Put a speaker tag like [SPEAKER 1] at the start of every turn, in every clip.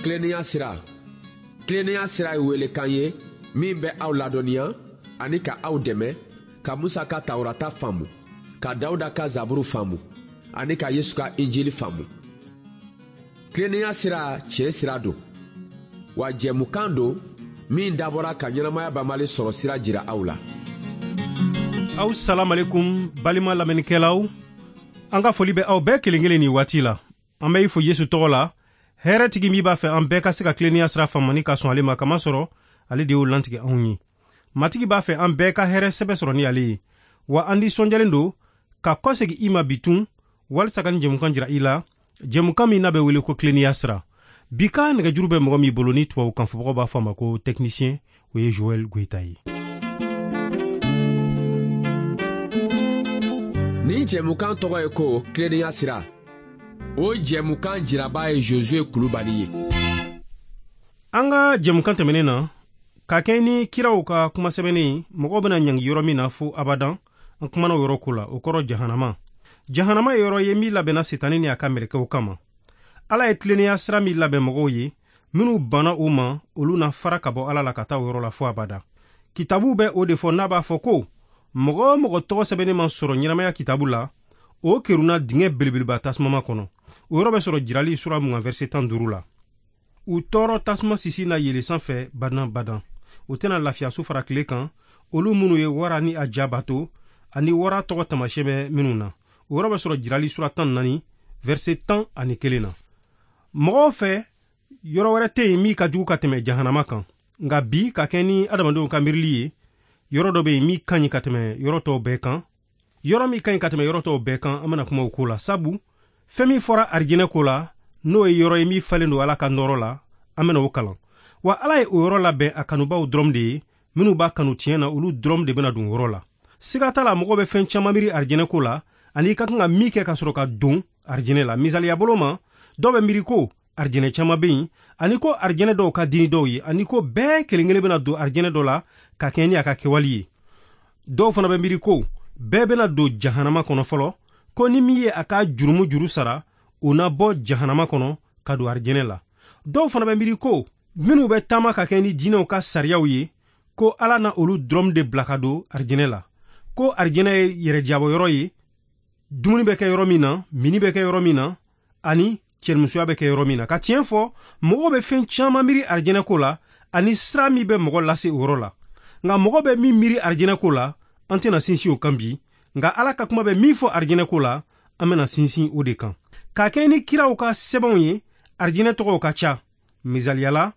[SPEAKER 1] Tilennenya sira. Tilennenya sira ye welekan ye min bɛ aw ladɔnniya ani ka aw dɛmɛ ka Musa ka Tawurata faamu, ka Dawuda ka Zaburu faamu ani ka Yesu ka Injili faamu. Tilennenya sira tiɲɛ sira don, wa jɛmukan don min dabɔra ka ɲɛnamaya banbali sɔrɔ sira jira aw la.
[SPEAKER 2] Aw salamalekum balima lamɛnnikɛlaw, an ka foli bɛ aw bɛɛ kelen kelen nin waati la. An bɛ i fo Yesu tɔgɔ la, hɛrɛtigi min b'a fɛ an bɛɛ ka se ka tilennenya sira faamu ni ka sɔn ale ma, kamasɔrɔ ale de y'o lantigɛ anw ye. Matigi b'a fɛ an bɛɛ ka hɛrɛ sɛbɛ sɔrɔ ni ale ye, wa an nisɔndiyalen don ka kɔsegin i ma bitun walisa ka nin jɛmukan jira i la, jɛmukan min n'a bɛ wele ko tilennenya sira. Bi ka nɛgɛjuru bɛ mɔgɔ min bolo ni tubabukan fɔbagaw b'a fɔ a ma ko technicien, o ye Joël Goïta ye.
[SPEAKER 1] Nin jɛmukan tɔgɔ ye ko tilennenya sira. O jɛmukan jiraba ye Josué Kulubali ye.
[SPEAKER 2] An ka jɛmukan tɛmɛnen na, ka kɛ ni kiraw ka kuma sɛbɛnnen, mɔgɔw bɛna ɲangi yɔrɔ min na fo abadan, an kumana o yɔrɔ ko la, o kɔrɔ jahanama. Jahanama ye yɔrɔ ye min labɛnna Setani ni a ka mɛlɛkɛw kama. Ala ye tilennenya sira min labɛn mɔgɔw ye, minnu banna o ma, olu na fara ka bɔ Ala la ka taa o yɔrɔ la fo abada. Kitabu bɛ o de fɔ n'a b'a fɔ ko mɔgɔ o mɔgɔ tɔgɔ sɛbɛnnen ma sɔrɔ ɲɛnamaya kitabu la, o kerunna dingɛ belebeleba tasumama kɔnɔ. O yɔrɔ bɛ sɔrɔ Jirali sura 20 verset 15 la. U tɔɔrɔ tasuma sisi na yɛlɛn sanfɛ badan badan. U tɛna lafiya su fara tile kan, olu minnu ye wara ni a ja bato, ani wara tɔgɔ taamasiyɛn bɛ minnu na. O yɔrɔ bɛ sɔrɔ Jirali sura 14 verset 11 na. Mɔgɔw fɛ, yɔrɔ wɛrɛ tɛ yen min ka jugu ka tɛmɛ jahanama kan. Nka bi, ka kɛ ni adamadenw ka miirili ye, yɔrɔ dɔ bɛ yen min ka ɲi ka tɛmɛ yɔrɔ tɔw bɛɛ kan. Yɔrɔ min ka ɲi ka tɛmɛ yɔrɔ tɔw bɛɛ kan, an bɛna kuma o ko la. Sabu fɛn min fɔra arijinɛ ko la, n'o ye yɔrɔ ye min falen don Ala ka nɔɔrɔ la, an bɛna o kalan. Wa Ala ye o yɔrɔ labɛn a kanubaw dɔrɔn de ye, minnu b'a kanu tiɲɛ na, olu dɔrɔn de bɛna don o yɔrɔ la. Siga t'a la, mɔgɔw bɛ fɛn caman miiri arijinɛ ko la, ani i ka kan ka min kɛ ka sɔrɔ ka don arijinɛ la. Misaliya bolo ma, dɔw bɛ miiri ko arijinɛ caman bɛ yen, ani ko arijinɛ dɔw ka di ni dɔw ye, ani ko bɛɛ kelen kelen bɛna don arijinɛ dɔ la ka kɛɲɛ ni a ka kɛwale ye. Dɔw fana bɛ miiri ko bɛɛ bɛna don jahanama kɔnɔ fɔlɔ, ko ni min ye a ka jurumu juru sara, o na bɔ jahanama kɔnɔ ka don arijinɛ la. Dɔw fana bɛ miiri ko minnu bɛ taama ka kɛ ni diinɛw ka sariyaw ye, ko Ala na olu dɔrɔn de bila ka don arijinɛ la, ko arijinɛ ye yɛrɛjabɔyɔrɔ ye, dumuni bɛ kɛ yɔrɔ min na, mini bɛ kɛ yɔrɔ min na, ani cɛnimusoya bɛ kɛ yɔrɔ min na. Ka tiɲɛ fɔ, mɔgɔw bɛ fɛn caman miiri arijinɛ ko la, ani sira min bɛ mɔgɔ lase o yɔrɔ la. Nka mɔgɔ bɛ min miiri arijinɛ ko la, an tɛna sinsin o kan bi. Nka Ala ka kuma bɛ min fɔ arijinɛ ko la, an bɛna sinsin o de kan. Ka kɛ ni kiraw ka sɛbɛnw ye, arijinɛ tɔgɔw ka ca. Misaliya la,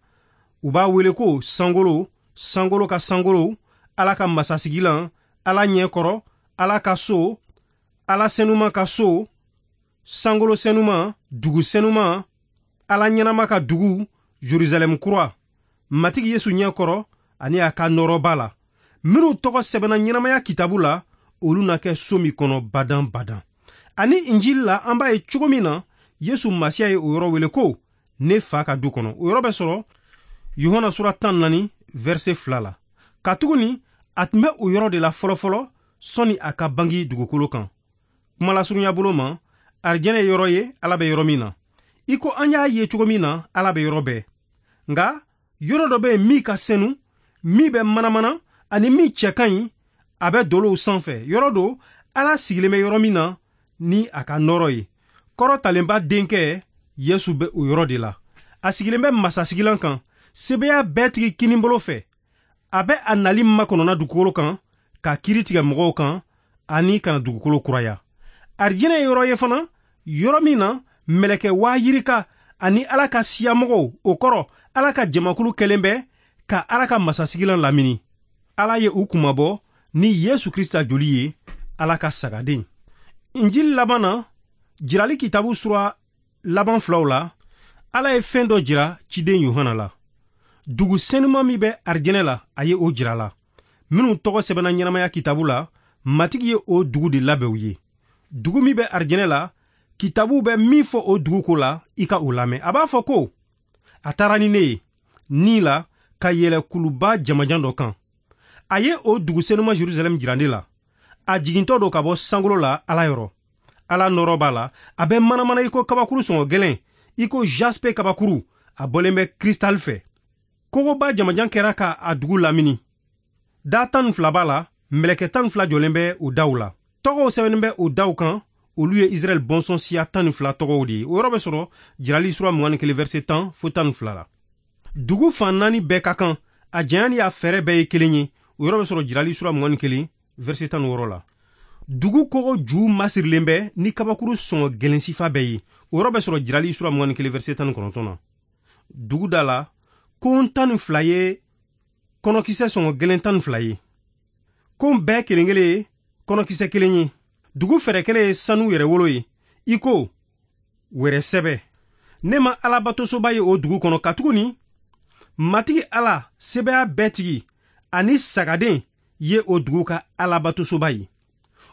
[SPEAKER 2] u b'a wele ko sankolo, sankolo ka sankolo, Ala ka masasigilan, Ala ɲɛkɔrɔ, Ala ka so, Ala senuma ka so, sankolo senuma, dugu senuma, Ala ɲɛnama ka dugu, Jerusalɛm kura, Matigi Yesu ɲɛkɔrɔ ani a ka nɔɔrɔba la. Minnu tɔgɔ sɛbɛnna ɲɛnamaya kitabu la, olu na kɛ so min kɔnɔ badan badan. Ani Injili la, an b'a ye cogo min na, Yesu Masiya ye o yɔrɔ wele ko ne fa ka du kɔnɔ. O yɔrɔ bɛ sɔrɔ Yohana sura 14 verset 2 la. Katuguni a tun bɛ o yɔrɔ de la fɔlɔfɔlɔ sɔnni a ka bangi dugukolo kan. Kumalasurunya bolo ma, arijinɛ ye yɔrɔ ye Ala bɛ yɔrɔ min na. I ko an y'a ye cogo min na, Ala bɛ yɔrɔ bɛɛ. Nka yɔrɔ dɔ bɛ yen min ka senu, min bɛ manamana, ani min cɛ ka ɲi, a bɛ dolow sanfɛ. Yɔrɔ don Ala sigilen bɛ yɔrɔ min na ni a ka nɔɔrɔ ye. Kɔrɔtalenba denkɛ Yesu bɛ o yɔrɔ de la. A sigilen bɛ masasigilan kan, sebeya bɛɛ tigi kinibolo fɛ. A bɛ a nali makɔnɔna dugukolo kan, ka kiiri tigɛ mɔgɔw kan, ani ka na dugukolo kuraya. Arijinɛ ye yɔrɔ ye fana, yɔrɔ min na mɛlɛkɛ 20,000 ani Ala ka siyamɔgɔw, o kɔrɔ Ala ka jamakulu kɛlen bɛ ka Ala ka masasigilan lamini. Ala ye u kunmabɔ ni Yesu Krista joli ye, Ala ka sagaden. Injili laban na, Jirali kitabu sura laban filaw la, Ala ye fɛn dɔ jira ciden Yohana la. Dugu senuma min bɛ arijinɛ la, a ye o jira la. Minnu tɔgɔ sɛbɛnna ɲɛnamaya kitabu la, Matigi ye o dugu de labɛn u ye. Dugu min bɛ arijinɛ la, kitabu bɛ min fɔ o dugu ko la, i ka o lamɛn. A b'a fɔ ko a taara ni ne ye ni la ka yɛlɛ kuluba jamajan dɔ kan. A ye o dugu senuma Jerusalɛm jira ne la. A jigintɔ don ka bɔ sankolo la Ala yɔrɔ. Ala nɔɔrɔ b'a la, a bɛ manamana i ko kabakuru sɔngɔ gɛlɛn, i ko jaspe kabakuru. A bɔlen bɛ kristal fɛ. Kogoba jamajan kɛra ka a dugu lamini. Da 12 b'a la, mɛlɛkɛ 12 jɔlen bɛ o daw la. Tɔgɔw sɛbɛnnen bɛ o daw kan, olu ye Israɛl bɔnsɔn siya 12 tɔgɔw de ye. O yɔrɔ bɛ sɔrɔ Jirali sura 21 verset 10 fo 12 la. Dugu fan naani bɛɛ ka kan, a janya ni a fɛrɛ bɛɛ ye kelen ye. O yɔrɔ bɛ sɔrɔ Jirali sura 21 verset 16 la. Dugu kogo ju masirilen bɛ ni kabakuru sɔngɔ gɛlɛn sifa bɛɛ ye. O yɔrɔ bɛ sɔrɔ Jirali sura 21 verset 19 na. Dugu da la, kon 12 ye kɔnɔkisɛ sɔngɔ gɛlɛn 12 ye. Kon bɛɛ kelen kelen ye kɔnɔkisɛ kelen ye. Dugu fɛrɛkɛnɛ ye sanu yɛrɛwolo ye, i ko wɛrɛ sɛbɛ. Ne ma Alabatosoba ye o dugu kɔnɔ, katuguni Matigi Ala sebaya bɛɛ tigi ani Sagaden ye o dugu ka Alabatosoba ye.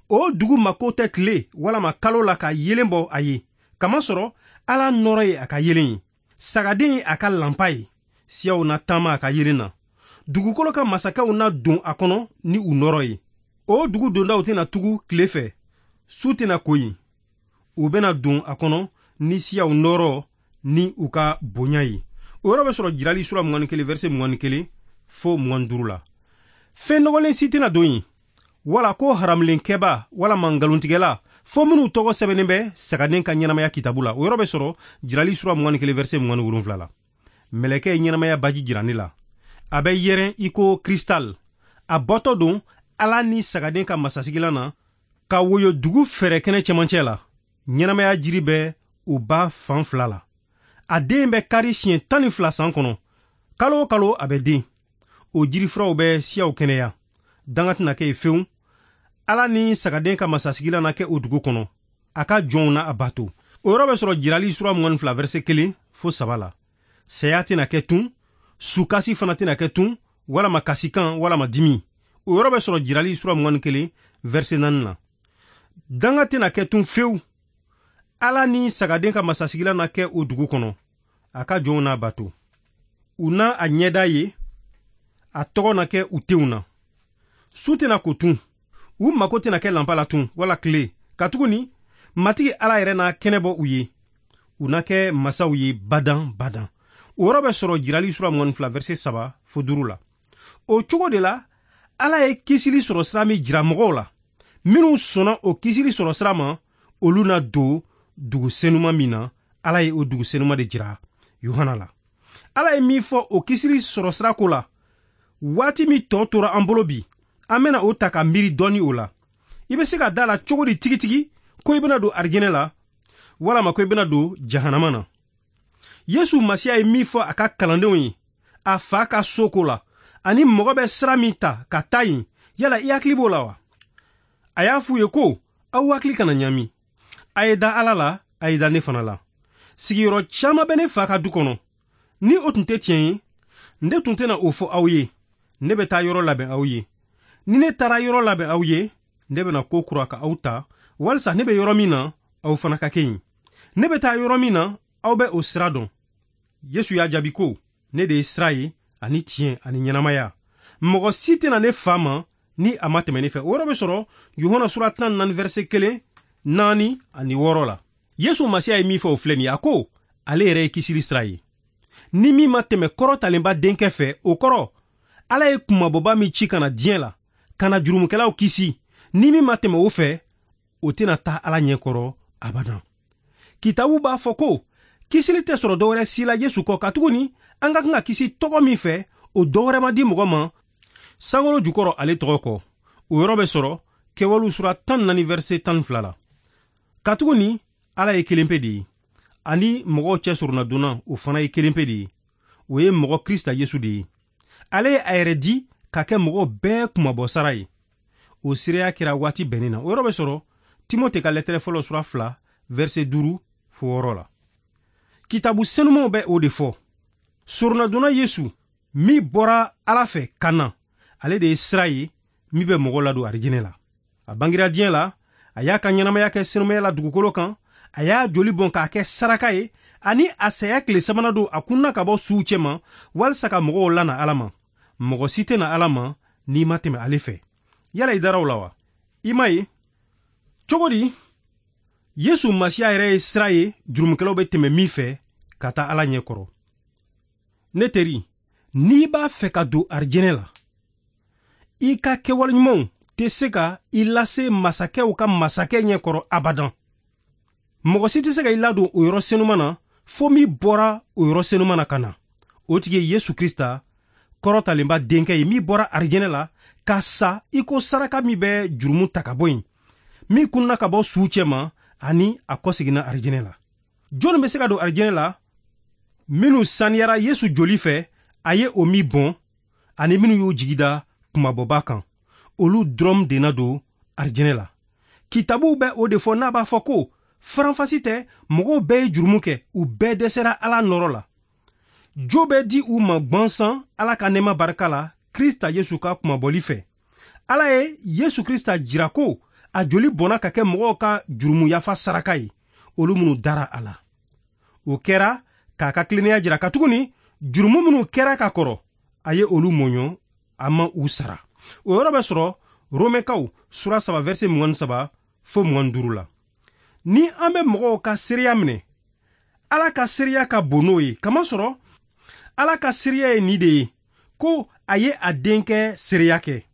[SPEAKER 2] O dugu mako tɛ tile walama kalo la ka yeelen bɔ a ye, kamasɔrɔ Ala nɔɔrɔ ye a ka yeelen ye. Sagaden ye a ka lanpa ye. Siyaw na taama a ka yeelen na. Dugukolo ka masakɛw na don a kɔnɔ ni u nɔɔrɔ ye. O dugu dondaw tɛna tugu tile fɛ, su tɛna ko yen. U bɛna don a kɔnɔ ni siyaw nɔɔrɔ ni u ka bonya ye. O yɔrɔ bɛ sɔrɔ Jirali sura 21 verset 21 fo 25 la. Fɛn nɔgɔlen si tɛna don yen, wala ko haramulenkɛba walama nkalontigɛla, fo minnu tɔgɔ sɛbɛnnen bɛ Sagaden ka ɲɛnamaya kitabu la. O yɔrɔ bɛ sɔrɔ Jirali sura 21 verset 27 la. Mɛlɛkɛ ye ɲɛnamaya baji jira ne la. A bɛ yɛrɛn i ko kristal. A bɔtɔ don Ala ni Sagaden ka masasigilan na ka woyo dugu fɛrɛkɛnɛ cɛmancɛ la. Ɲɛnamaya jiri bɛ o ba fan fila la. A den bɛ kari siɲɛ 12 san kɔnɔ. Kalo o kalo a bɛ den. O jirifuraw bɛ siyaw kɛnɛya. Danga tɛna kɛ yen fewu. Ala ni Sagaden ka masasigilan na kɛ o dugu kɔnɔ. A ka jɔnw na a bato. O yɔrɔ bɛ sɔrɔ Jirali sura 22 verset 1 fo 3 la. Saya tɛna kɛ tun, sukasi fana tɛna kɛ tun, walama kasikan walama dimi. O yɔrɔ bɛ sɔrɔ Jirali sura 21 verset 4 la. Danga tɛna kɛ tun fewu. Ala ni Sagaden ka masasigilan na kɛ o dugu kɔnɔ. A ka jɔnw n'a bato. U na a ɲɛda ye, a tɔgɔ na kɛ u tenw na. Su tɛna ko tun, u mako tɛna kɛ lanpa la tun wala tile, katuguni Matigi Ala yɛrɛ na kɛnɛ bɔ u ye. U na kɛ masaw ye badan badan. O yɔrɔ bɛ sɔrɔ Jirali sura 22 verset 3 fo 5 la. O cogo de la, Ala ye kisili sɔrɔ sira min jira mɔgɔw la, minnu sɔnna o kisili sɔrɔ sira ma, olu na don dugu senuma min na. Ala ye o dugu senuma de jira Yohana la. Ala ye min fɔ o kisili sɔrɔ sira ko la, waati min tɔ tora an bolo bi, an bɛna o ta ka miiri dɔɔni o la. I bɛ se ka da la cogo di tigitigi ko i bɛna don arijinɛ la, walama ko i bɛna don jahanama na? Yesu Masiya ye min fɔ a ka kalandenw ye a fa ka so ko la, ani mɔgɔ bɛ sira min ta ka taa yen, yala i hakili b'o la wa? A y'a f'u ye ko aw hakili kana ɲami. A ye da Ala la, a ye da ne fana la. Sigiyɔrɔ caman bɛ ne fa ka du kɔnɔ. Ni o tun tɛ tiɲɛ ye, ne tun tɛna o fɔ aw ye. Ne bɛ taa yɔrɔ labɛn aw ye. Ni ne taara yɔrɔ labɛn aw ye, ne bɛna ko kura ka aw ta, walisa ne bɛ yɔrɔ min na, aw fana ka kɛ yen. Ne bɛ taa yɔrɔ min na, aw bɛ o sira dɔn. Yesu y'a jaabi ko, ne de ye sira ye, ani tiɲɛ, ani ɲɛnamaya. Mɔgɔ si tɛna ne fa ma ni a ma tɛmɛ ne fɛ. O yɔrɔ bɛ sɔrɔ Yohana sura 14 verset 1, 4 ani 6 la. Yesu Masiya ye min fɔ o filɛ nin ye, a ko ale yɛrɛ ye kisili sira ye. Ni min ma tɛmɛ kɔrɔtalenba denkɛ fɛ, o kɔrɔ Ala ye kunmabɔba min ci ka na diɲɛ la, ka na jurumukɛlaw kisi, ni min ma tɛmɛ o fɛ, o tɛna taa Ala ɲɛkɔrɔ abadan. Kitabu b'a fɔ ko kisili tɛ sɔrɔ dɔwɛrɛ si la Yesu kɔ, katuguni an ka kan ka kisi tɔgɔ min fɛ, o dɔwɛrɛ ma di mɔgɔ ma sankolo jukɔrɔ ale tɔgɔ kɔ. O yɔrɔ bɛ sɔrɔ Kɛwalew sura 14 verset 12 la. Katuguni Ala ye kelen pe de ye, ani mɔgɔw cɛ soronnadonna o fana ye kelen pe de ye, o ye mɔgɔ Krista Yesu de ye. Ale ye a yɛrɛ di ka kɛ mɔgɔw bɛɛ kunmabɔ sara ye. O seereya kɛra waati bɛnnen na. O yɔrɔ bɛ sɔrɔ Timote ka lɛtɛrɛ fɔlɔ sura 2 verset 5 fo 6 la. Kitabu senumanw bɛ o de fɔ. Soronnadonna Yesu min bɔra Ala fɛ ka na, ale de ye sira ye min bɛ mɔgɔ ladon arijinɛ la. A bangira diɲɛ la, a y'a ka ɲɛnamaya kɛ senumaya la dugukolo kan, a y'a joli bɔn k'a kɛ saraka ye, ani a saya tile sabanan don a kunna ka bɔ suw cɛma, walisa ka mɔgɔw lana Ala ma. Mɔgɔ si tɛna Ala ma n'i ma tɛmɛ ale fɛ. Yala i dara o la wa? I m'a ye cogo di? Yesu Masiya yɛrɛ ye sira ye jurumukɛlaw bɛ tɛmɛ min fɛ ka taa Ala ɲɛkɔrɔ. Ne teri, n'i b'a fɛ ka don arijɛnɛ la, i ka kɛwale ɲumanw tɛ se ka i lase masakɛw ka masakɛ ɲɛkɔrɔ abadan. Mɔgɔ si tɛ se ka i ladon o yɔrɔ senuma na fo min bɔra o yɔrɔ senuma na ka na. O tigi ye Yesu Krista kɔrɔtalenba denkɛ ye, min bɔra arijɛnɛ la ka sa i ko saraka min bɛ jurumu ta ka bɔ yen, min kunna ka bɔ suw cɛma ani a kɔseginna arijɛnɛ la. Jɔnni bɛ se ka don arijɛnɛ la? Minnu saniyara Yesu joli fɛ, a ye o min bɔn, ani minnu y'u jigi da kunmabɔba kan, olu dɔrɔn de na don arijɛnɛ la. Kitabuw bɛ o de fɔ n'a b'a fɔ ko faranfasi tɛ, mɔgɔw bɛɛ ye jurumu kɛ, u bɛɛ dɛsɛra Ala nɔrɔ la. Jo bɛ di u ma gwansan Ala ka nɛɛma barika la Krista Yesu ka kunmabɔli fɛ. Ala ye Yesu Krista jira ko a joli bɔnna ka kɛ mɔgɔw ka jurumu yafa saraka ye, olu minnu dara a la. O kɛra k'a ka tilennenya jira, katuguni jurumu minnu kɛra ka kɔrɔ, a ye olu mɔɲɔ, a ma u sara. O yɔrɔ bɛ sɔrɔ Romɛkaw sura 3 verset 23 fo 25 la. Ni an bɛ mɔgɔw ka seereya minɛ, Ala ka seereya ka bon n'o ye, kamasɔrɔ Ala ka seereya ye nin de ye, ko a ye a denkɛ seereya kɛ.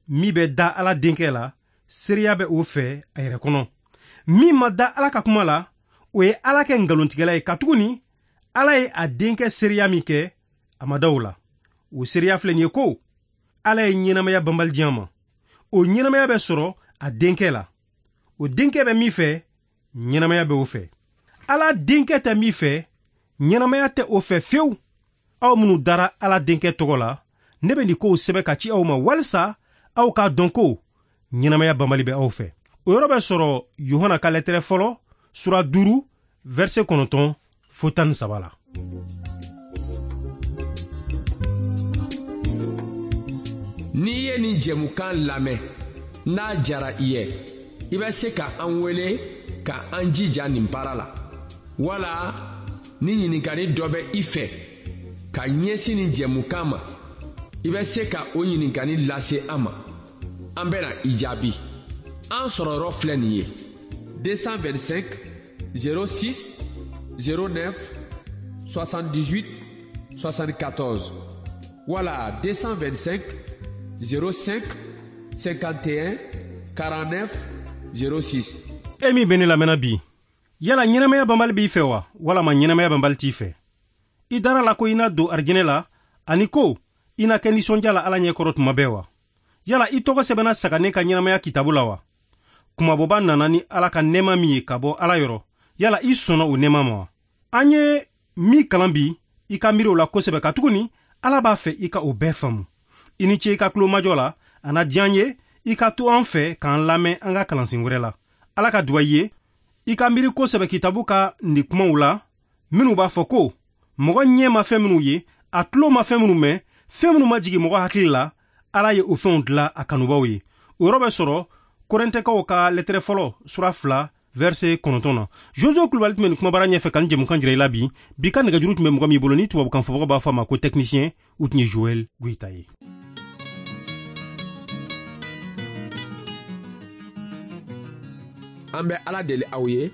[SPEAKER 2] Min bɛ da Ala denkɛ la, seereya bɛ o fɛ a yɛrɛ kɔnɔ. Min ma da Ala ka kuma la, o ye Ala kɛ nkalontigɛla ye, katuguni Ala ye a denkɛ seereya min kɛ, a ma da o la. O seereya filɛ nin ye ko Ala ye ɲɛnamaya banbali di an ma. O ɲɛnamaya bɛ sɔrɔ a denkɛ la. O denkɛ bɛ min fɛ, ɲɛnamaya bɛ o fɛ. Ala denkɛ tɛ min fɛ, ɲɛnamaya tɛ o fɛ fewu. Aw minnu dara Ala denkɛ tɔgɔ la, ne bɛ nin kow sɛbɛn ka ci aw ma walisa aw k'a dɔn ko ɲɛnamaya banbali bɛ aw fɛ. O yɔrɔ bɛ sɔrɔ Yohana ka lɛtɛrɛ fɔlɔ sura 5 verset 9 fo 13 la.
[SPEAKER 1] N'i ye nin jɛmukan lamɛn, n'a jara i ye, i bɛ se ka an wele ka an jija nin baara la. Wala ni ɲininkali dɔ bɛ i fɛ ka ɲɛsin nin jɛmukan ma, i bɛ se ka o ɲininkali lase an ma. An bɛna i jaabi. An sɔrɔyɔrɔ filɛ nin ye: 225 06 09 78 74 wala 225 05 51 49 06.
[SPEAKER 2] E min bɛ ne lamɛnna bi, yala ɲɛnamaya banbali b'i fɛ wa, walama ɲɛnamaya banbali t'i fɛ? I dara la ko i na don arijinɛ la, ani ko i na kɛ nisɔndiya la Ala ɲɛkɔrɔ tuma bɛɛ wa? Yala i tɔgɔ sɛbɛnna saganen ka ɲɛnamaya kitabu la wa? Kunmabɔba nana ni Ala ka nɛɛma min ye ka bɔ Ala yɔrɔ, yala i sɔnna o nɛɛma ma wa? An ye min kalan bi, i ka miiri o la kosɛbɛ, katuguni Ala b'a fɛ i ka o bɛɛ faamu. I ni ce i ka tulomajɔ la, a na diya an ye i ka to an fɛ k'an lamɛn an ka kalansen wɛrɛ la. Ala ka duwa i ye, i ka miiri kosɛbɛ kitabu ka nin kumaw la, minnu b'a fɔ ko mɔgɔ ɲɛ ma fɛn minnu ye, a tulo ma fɛn minnu mɛn, fɛn minnu ma jigin mɔgɔ hakili la, Ala ye o fɛnw dilan a kanubaw ye. O yɔrɔ bɛ sɔrɔ Korɛntɛkaw ka lɛtɛrɛ fɔlɔ sura 2 verset 9 na. Jojo Kulubali tun bɛ nin kumabara ɲɛfɛ ka nin jɛmukan jira i la bi. Bi ka nɛgɛjuru tun bɛ mɔgɔ min bolo ni tubabukan fɔbagaw b'a fɔ a ma ko technicien, u tun ye Joël Goyita ye.
[SPEAKER 1] An bɛ Ala deli aw ye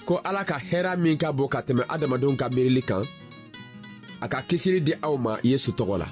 [SPEAKER 1] ko Ala ka hɛrɛ min ka bon ka tɛmɛ adamadenw ka miirili kan, a ka kisili di aw ma Yesu tɔgɔ la.